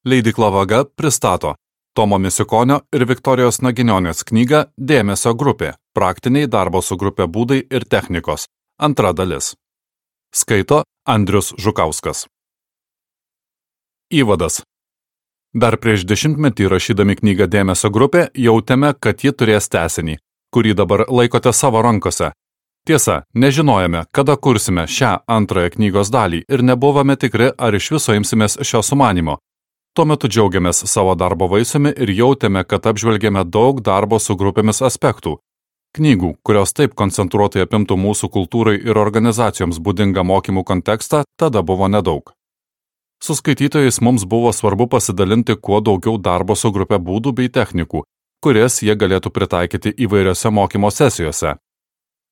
Leidykla Vaga pristato Tomo Misiukonio ir Viktorijos Naginionės knygą Dėmesio grupė – praktiniai darbo su grupė būdai ir technikos. Antra dalis. Skaito Andrius Žukauskas. Įvadas. Dar prieš 10 metį rašydami knygą Dėmesio grupė jautėme, kad ji turės tęsinį, kurį dabar laikote savo rankose. Tiesa, nežinojome, kada kursime šią antrąją knygos dalį ir nebuvome tikri, ar iš viso imsimės šio sumanimo. Tuo metu džiaugiamės savo darbo vaisiumi ir jautėme, kad apžvelgėme daug darbo su grupėmis aspektų. Knygų, kurios taip koncentruotai apimtų mūsų kultūrai ir organizacijoms būdingą mokymų kontekstą, tada buvo nedaug. Su skaitytojais mums buvo svarbu pasidalinti kuo daugiau darbo su grupė būdų bei technikų, kurias jie galėtų pritaikyti įvairiose mokymo sesijose.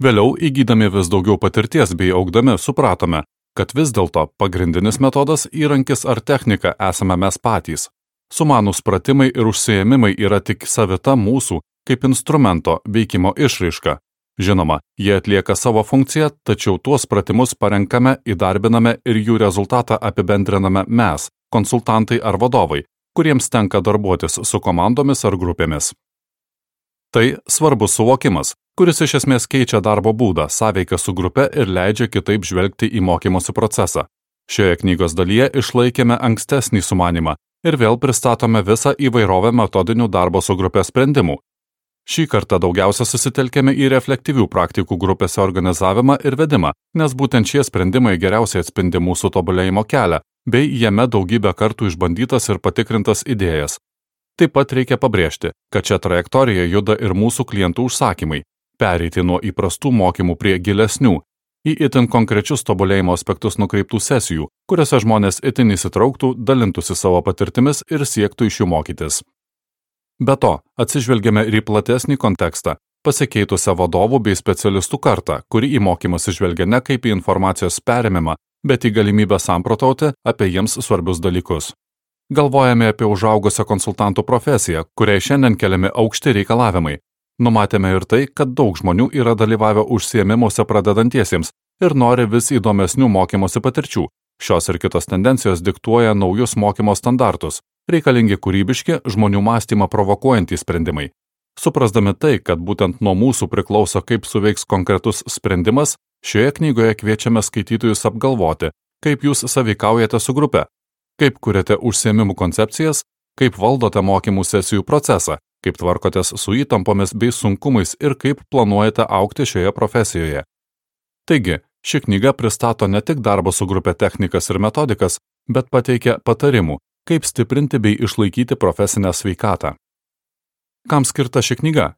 Vėliau, įgydami vis daugiau patirties bei augdami, supratome, kad vis dėlto pagrindinis metodas, įrankis ar technika esame mes patys. Sumanūs pratimai ir užsiėmimai yra tik savita mūsų, kaip instrumento veikimo išraiška. Žinoma, jie atlieka savo funkciją, tačiau tuos pratimus parenkame, įdarbiname ir jų rezultatą apibendriname mes, konsultantai ar vadovai, kuriems tenka darbuotis su komandomis ar grupėmis. Tai svarbus suvokimas, kuris iš esmės keičia darbo būdą, sąveiką su grupe ir leidžia kitaip žvelgti į mokymosi procesą. Šioje knygos dalyje išlaikėme ankstesnį sumanimą ir vėl pristatome visą įvairovę metodinių darbo su grupe sprendimų. Šį kartą daugiausia susitelkėme į reflektyvių praktikų grupėse organizavimą ir vedimą, nes būtent šie sprendimai geriausiai atspindi mūsų tobulėjimo kelią, bei jame daugybę kartų išbandytas ir patikrintas idėjas. Taip pat reikia pabrėžti, kad šią trajektoriją juda ir mūsų klientų užsakymai. Pereiti nuo įprastų mokymų prie gilesnių, į itin konkrečius tobulėjimo aspektus nukreiptų sesijų, kuriuose žmonės itin įsitrauktų, dalintųsi savo patirtimis ir siektų iš jų mokytis. Be to, atsižvelgiame ir į platesnį kontekstą, pasikeitusią vadovų bei specialistų kartą, kuri į mokymus žvelgia ne kaip į informacijos perėmimą, bet į galimybę samprotauti apie jiems svarbius dalykus. Galvojame apie užaugusią konsultantų profesiją, kuriai šiandien keliami aukšti reikalavimai. Numatėme ir tai, kad daug žmonių yra dalyvavę užsiėmimuose pradedantiesiems ir nori vis įdomesnių mokymosi patirčių. Šios ir kitos tendencijos diktuoja naujus mokymo standartus, reikalingi kūrybiški, žmonių mąstymą provokuojantys sprendimai. Suprasdami tai, kad būtent nuo mūsų priklauso, kaip suveiks konkretus sprendimas, šioje knygoje kviečiame skaitytojus apgalvoti, kaip jūs sąveikaujate su grupe, kaip kuriate užsiėmimų koncepcijas, kaip valdote mokymų sesijų procesą, kaip tvarkotės su įtampomis bei sunkumais ir kaip planuojate augti šioje profesijoje. Taigi, ši knyga pristato ne tik darbo su grupė technikas ir metodikas, bet pateikia patarimų, kaip stiprinti bei išlaikyti profesinę sveikatą. Kam skirta ši knyga?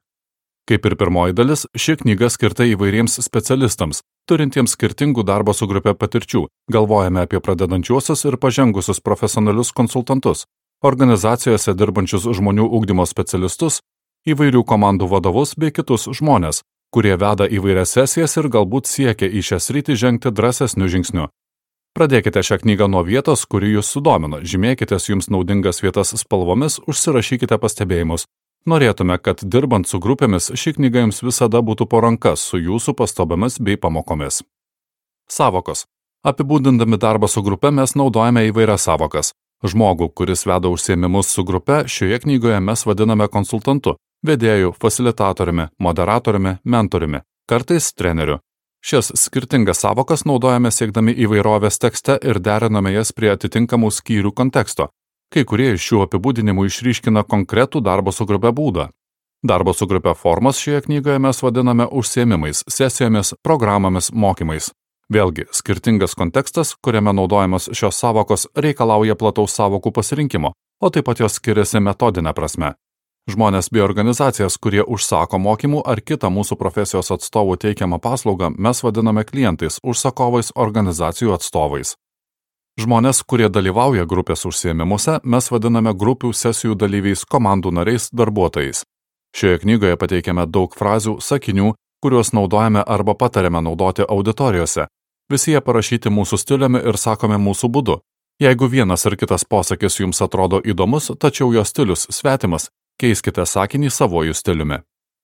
Kaip ir pirmoji dalis, ši knyga skirta įvairiems specialistams, turintiems skirtingų darbo su grupė patirčių. Galvojame apie pradedančiuosius ir pažengusius profesionalius konsultantus, organizacijose dirbančius žmonių ugdymo specialistus, įvairių komandų vadovus bei kitus žmonės, kurie veda įvairias sesijas ir galbūt siekia į šią sritį žengti drąsesniu žingsniu. Pradėkite šią knygą nuo vietos, kuri jūs sudomino, žymėkitės jums naudingas vietas spalvomis, užsirašykite pastebėjimus. Norėtume, kad dirbant su grupėmis ši knyga jums visada būtų po rankas su jūsų pastabomis bei pamokomis. Sąvokos. Apibūdindami darbą su grupe mes naudojame įvairias sąvokas. Žmogų, kuris veda užsiėmimus su grupe, šioje knygoje mes vadiname konsultantu, vedėju, fasilitatoriumi, moderatoriumi, mentoriumi, kartais treneriu. Šias skirtingas sąvokas naudojame siekdami įvairovės tekste ir deriname jas prie atitinkamų skyrių konteksto. Kai kurie iš šių apibūdinimų išryškina konkretų darbo su grupe būdą. Darbo su grupe formas šioje knygoje mes vadiname užsiėmimais, sesijomis, programomis, mokymais. Vėlgi, skirtingas kontekstas, kuriame naudojamas šios sąvokos, reikalauja plataus sąvokų pasirinkimo, o taip pat jos skiriasi metodinę prasme. Žmonės bei organizacijas, kurie užsako mokymų ar kitą mūsų profesijos atstovų teikiamą paslaugą, mes vadiname klientais, užsakovais, organizacijų atstovais. Žmonės, kurie dalyvauja grupės užsiėmimuose, mes vadiname grupių sesijų dalyviais, komandų nariais, darbuotojais. Šioje knygoje pateikiame daug frazių, sakinių, kuriuos naudojame arba patariame naudoti auditorijose. Visi jie parašyti mūsų stiliumi ir sakomi mūsų būdu. Jeigu vienas ar kitas posakis jums atrodo įdomus, tačiau jo stilius svetimas, keiskite sakinį savojų stiliumi.